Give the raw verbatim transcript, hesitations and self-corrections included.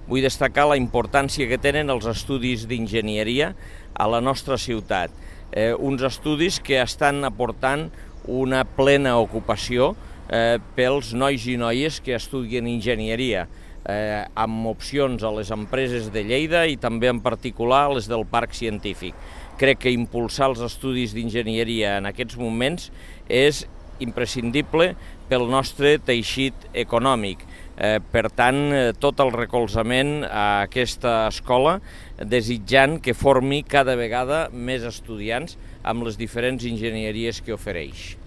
vull destacar la importància que tenen els estudis d'enginyeria a la nostra ciutat. Eh, uns estudis que estan aportant una plena ocupació eh, pels nois i noies que estudien enginyeria, eh, amb opcions a les empreses de Lleida i també en particular a les del Parc Científic. Crec que impulsar els estudis d'enginyeria en aquests moments és imprescindible pel nostre teixit econòmic. Eh, per tant, eh, tot el recolzament a aquesta escola, desitjant que formi cada vegada més estudiants amb les diferents enginyeries que ofereix.